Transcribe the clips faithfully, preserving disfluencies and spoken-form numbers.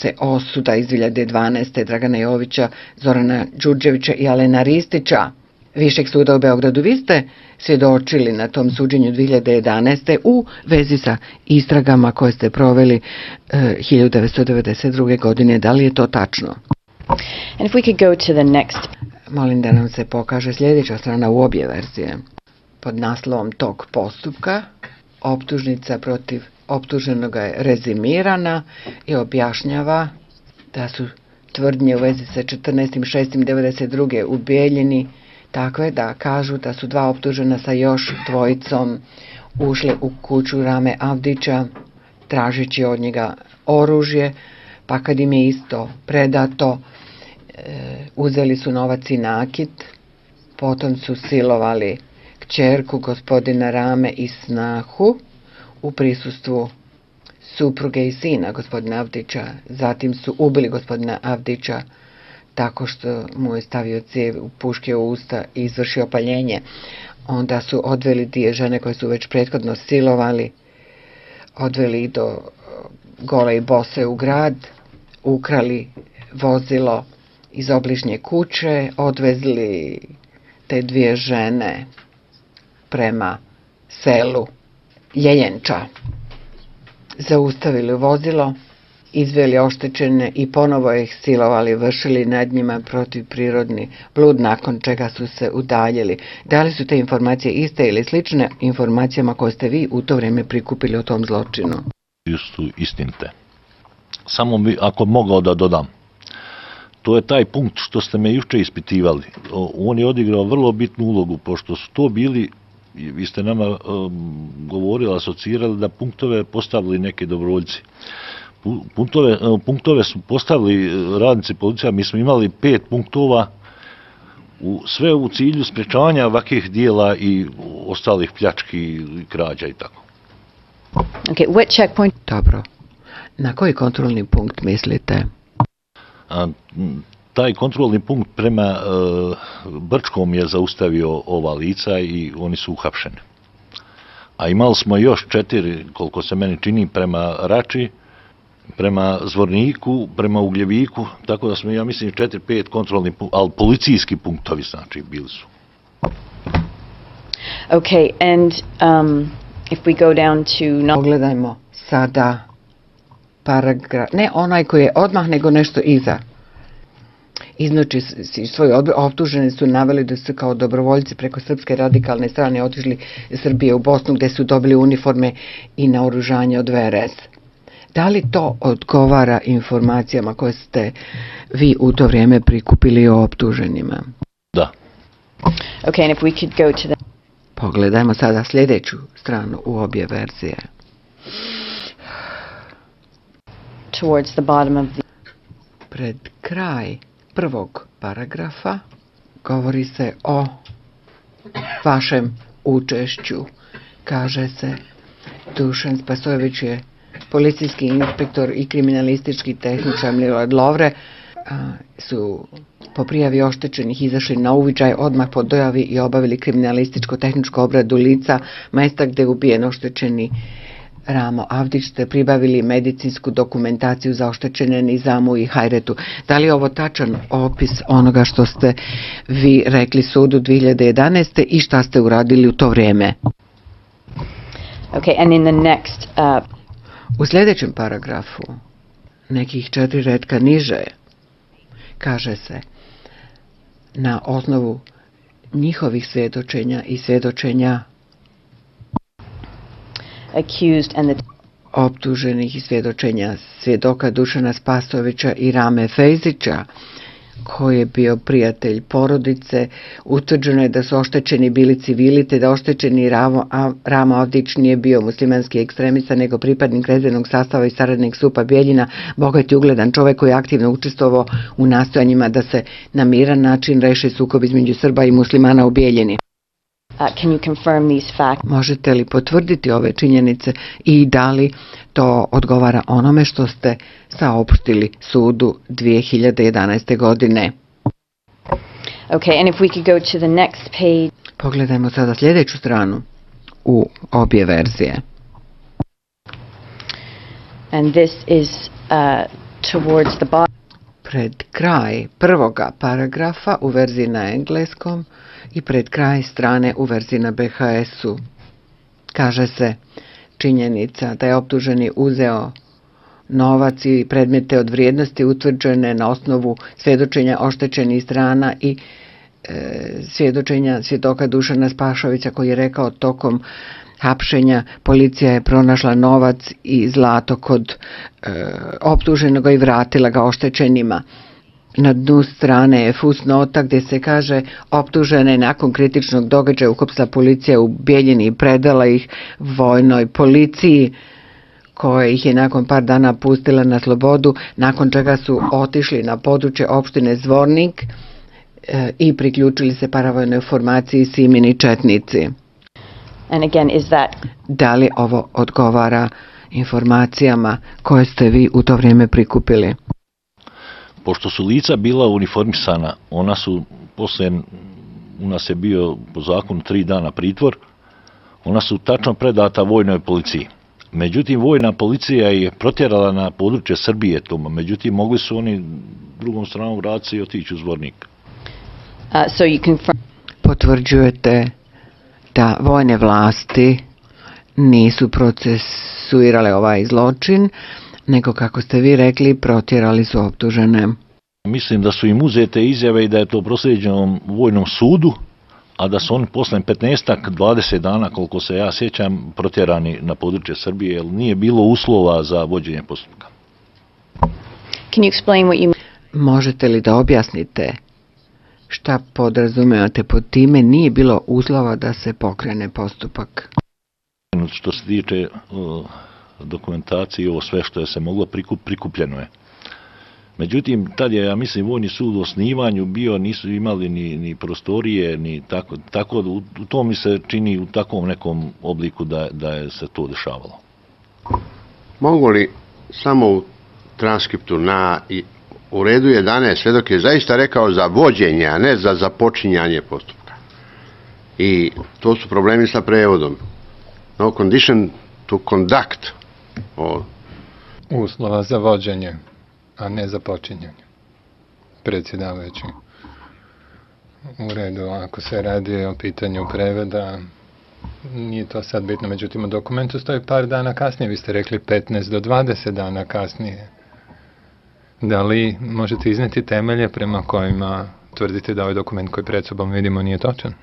se osuda iz dvije hiljade dvanaeste. Dragana Jovića, Zorana Đurđevića i Alena Ristića Višeg suda u Beogradu. Vi ste svjedočili na tom suđenju dvije hiljade jedanaeste. u vezi sa istragama koje ste proveli eh, hiljadu devetsto devedeset druge. godine. Da li je to tačno? And if we could go to the next. Molim da nam se pokaže sljedeća strana u obje verzije. Pod naslovom tog postupka optužnica protiv optuženoga je rezimirana i objašnjava da su tvrdnje u vezi sa četrnaestim šestim devedeset druge. u Bijeljini takve da kažu da su dva optužena sa još dvojicom ušli u kuću Rame Avdića tražeći od njega oružje, pa kad im je isto predato, e, uzeli su novac i nakit, potom su silovali kćerku gospodina Rame i snahu u prisustvu supruge i sina gospodina Avdića. Zatim su ubili gospodina Avdića tako što mu je stavio cijev u puške u usta i izvršio paljenje. Onda su odveli dvije žene koje su već prethodno silovali, odveli do gole i bose u grad, ukrali vozilo iz obližnje kuće, odvezli te dvije žene prema selu Ljeljenča, zaustavili vozilo, izveli oštećene i ponovo ih silovali, vršili nad njima protivprirodni blud, nakon čega su se udaljili. Da li su te informacije iste ili slične informacijama koje ste vi u to vrijeme prikupili o tom zločinu? Su istinite. Samo bi, ako mogao da dodam, to je taj punkt što ste me juče ispitivali. On je odigrao vrlo bitnu ulogu, pošto su to bili, vi ste nama um, govorili, asocirali da punktove postavili neki dobrovoljci. Punktove, punktove su postavili radnici policija, mi smo imali pet punktova, u, sve u cilju sprečavanja ovakvih dijela i ostalih pljački, krađa i tako. Okay, what checkpoint? Dobro. Na koji kontrolni punkt mislite? A, taj kontrolni punkt prema e, Brčkom je zaustavio ova lica i oni su uhapšeni. A imali smo još četiri, koliko se meni čini, prema Rači, prema Zvorniku, prema Ugljeviku, tako da smo, ja mislim, četiri, pet kontrolni punkt, ali policijski punktovi, znači, bili su. Okay, and um, if we go down to... No- Pogledajmo sada paragraf, ne onaj koji je odmah, nego nešto iza. Iznoči svoje optuženi su naveli da su kao dobrovoljci preko srpske radikalne strane otišli iz Srbije u Bosnu, gde su dobili uniforme i naoružanje od V R S. Da li to odgovara informacijama koje ste vi u to vrijeme prikupili o optuženima? Da. Okay, and if we could go to the... Pogledajmo sada sljedeću stranu u obje verzije. Towards the bottom of the... Pred kraj prvog paragrafa govori se o vašem učešću. Kaže se, Dušan Spasojević je policijski inspektor i kriminalistički tehničar Milorad Lovre, a, su po prijavi oštećenih izašli na uviđaj odmah po dojavi i obavili kriminalističko-tehničku obradu lica mesta gdje je ubijen oštećeni Ramo Avdić, te pribavili medicinsku dokumentaciju za oštećene Nizamu i Hajretu. Da li je ovo tačan opis onoga što ste vi rekli sudu dvije hiljade jedanaeste. i šta ste uradili u to vrijeme? Okay, and in the next, uh... U sljedećem paragrafu, nekih četiri retka niže, kaže se, na osnovu njihovih svjedočenja i svjedočenja accused and the... optuženih i svjedočenja svjedoka Dušana Spasojevića i Rame Fejzića, koji je bio prijatelj porodice, utvrđeno je da su oštećeni bili civili, te da oštećeni Ramo, Ramo Avdić nije bio muslimanski ekstremista, nego pripadnik rezervnog sastava i saradnik Supa Bijeljina, bogat i ugledan čovjek koji je aktivno učestvovao u nastojanjima da se na miran način reši sukob između Srba i muslimana u Bijeljini. Uh, can you confirm these facts? Možete li potvrditi ove činjenice i da li to odgovara onome što ste saopštili sudu dvije hiljade jedanaeste. godine? Okay, and if we could go to the next page. Pogledajmo sada sljedeću stranu u obje verzije. And this is uh, towards the bottom. Pred kraj prvoga paragrafa u verziji na engleskom i pred kraj strane u verziji na be ha esu. Kaže se činjenica da je optuženi uzeo novac i predmete od vrijednosti utvrđene na osnovu svjedočenja oštećenih strana i e, svjedočenja svjedoka Dušana Spašovića koji je rekao tokom hapšenja policija je pronašla novac i zlato kod e, optuženog i vratila ga oštećenima. Na dnu strane je fusnota gdje se kaže optužena je nakon kritičnog događaja uhapsila policija u Bijeljini i predala ih vojnoj policiji koja ih je nakon par dana pustila na slobodu, nakon čega su otišli na područje opštine Zvornik e, i priključili se paravojnoj formaciji Simini četnici. And again, is that Da li ovo odgovara informacijama koje ste vi u to vrijeme prikupili? Pošto su lica bila uniformisana, ona su poslije, u nas je bio po zakonu tri dana pritvor, ona su tačno predata vojnoj policiji. Međutim, vojna policija je protjerala na područje Srbije toma, međutim, mogli su oni drugom stranom vratiti i otići u Zvornik. uh, so you confirm Potvrđujete da vojne vlasti nisu procesuirale ovaj zločin, nego kako ste vi rekli, protjerali su optužene. Mislim da su im uzete izjave i da je to proslijeđeno vojnom sudu, a da su oni posle petnaestak dvadeset dana, koliko se ja sjećam, protjerani na područje Srbije, jer nije bilo uslova za vođenje postupka. can you explain what you Možete li da objasnite šta podrazumevate pod time nije bilo uslova da se pokrene postupak? Što se tiče uh, dokumentacije, ovo sve što je se moglo prikup, prikupljeno je. Međutim, tad je, ja mislim, vojni sud u osnivanju bio, nisu imali ni, ni prostorije, ni tako, tako u, u to mi se čini u takvom nekom obliku da, da je se to dešavalo. Mogu li samo u transkriptu na i u redu jedanaest svedok je zaista rekao za vođenje, a ne za započinjanje postupka. I to su problemi sa prevodom. No condition to conduct. O... Uslova za vođenje, a ne za počinjanje. Predsjedavajući. U redu, ako se radi o pitanju preveda, nije to sad bitno, međutim u dokumentu stoji par dana kasnije, vi ste rekli petnaest do dvadeset dana kasnije. Da li možete izneti temelje prema kojima tvrdite da ovaj dokument koji pred sobom vidimo nije točan?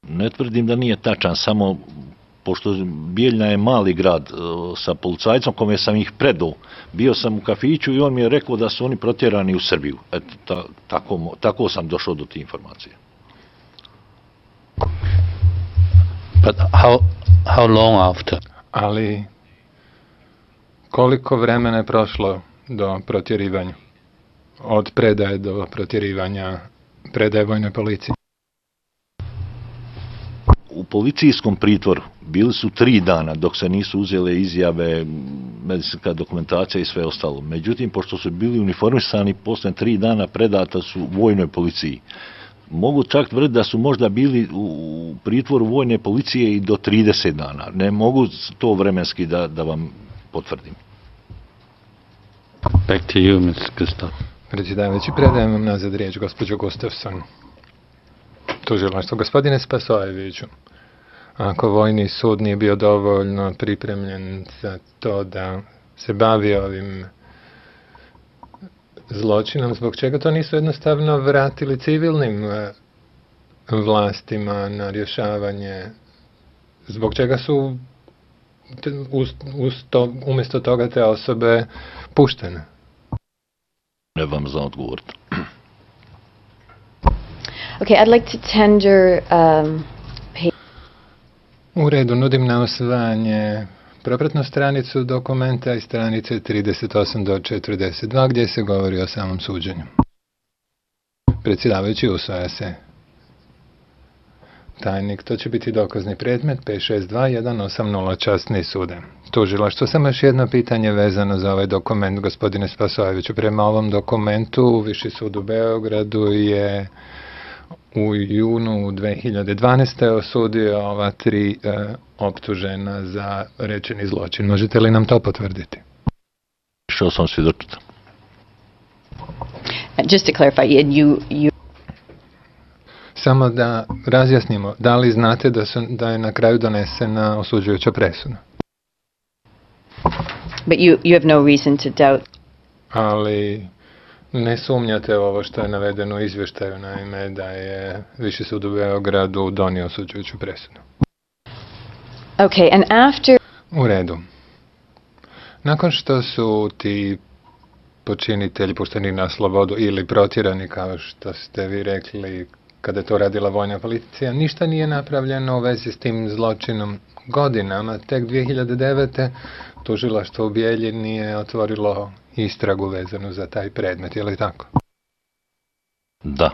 Ne tvrdim da nije tačan, samo pošto Bijeljina je mali grad, sa policajcom kome sam ih predao, bio sam u kafiću i on mi je rekao da su oni protjerani u Srbiju. Eto, ta, tako, tako sam došao do te informacije. But how, how long after? Ali koliko vremena je prošlo do protjerivanja? Od predaje do protjerivanja predaje vojnoj policiji? U policijskom pritvoru bili su tri dana dok se nisu uzele izjave, medicinska dokumentacija i sve ostalo. Međutim, pošto su bili uniformisani, posle tri dana predata su vojnoj policiji. Mogu čak tvrditi da su možda bili u pritvoru vojne policije i do trideset dana. Ne mogu to vremenski da, da vam potvrdim. Back to you, mister Gustaf. Predsjedavajući, predajem vam nazad riječ, gospođo Gustafson. Tužilaštvo, gospodine Spasojeviću, ako vojni sud nije bio dovoljno pripremljen za to da se bavi ovim zločinom, zbog čega to nisu jednostavno vratili civilnim vlastima na rješavanje? Zbog čega su uz, uz to, umjesto toga te osobe puštene? Ne vam za odgovoriti. Okay, I'd like to tender um, U redu, nudim na usvajanje propratnu stranicu dokumenta i stranice trideset osam do četrdeset dva gdje se govori o samom suđenju. Predsjedavajući, usvaja se. Tajnik, to će biti dokazni predmet pet šest dva jedan osam nula časni sude. Tužilaštvo, samo još jedno pitanje vezano za ovaj dokument, gospodine Spasojeviću. Prema ovom dokumentu Viši sud u Beogradu je u junu dve hiljade dvanaeste. osudio ova tri e, optužena za rečeni zločin. Možete li nam to potvrditi? Išao sam svjedočiti. Just to clarify, and you, you Samo da razjasnimo, da li znate da, su, da je na kraju donesena osuđujuća presuda? but you, you have no reason to doubt. Ali ne sumnjate ovo što je navedeno u izvještaju, naime da je Viši sud u Beogradu donio osuđujuću presudu. Okay, and after U redu. Nakon što su ti počinitelji pušteni na slobodu ili protjerani, kao što ste vi rekli, kada je to radila vojna policija, ništa nije napravljeno u vezi s tim zločinom godinama. Tek dvije hiljade devete. tužilaštvo u Bijeljini je otvorilo istragu vezanu za taj predmet, je li tako? Da.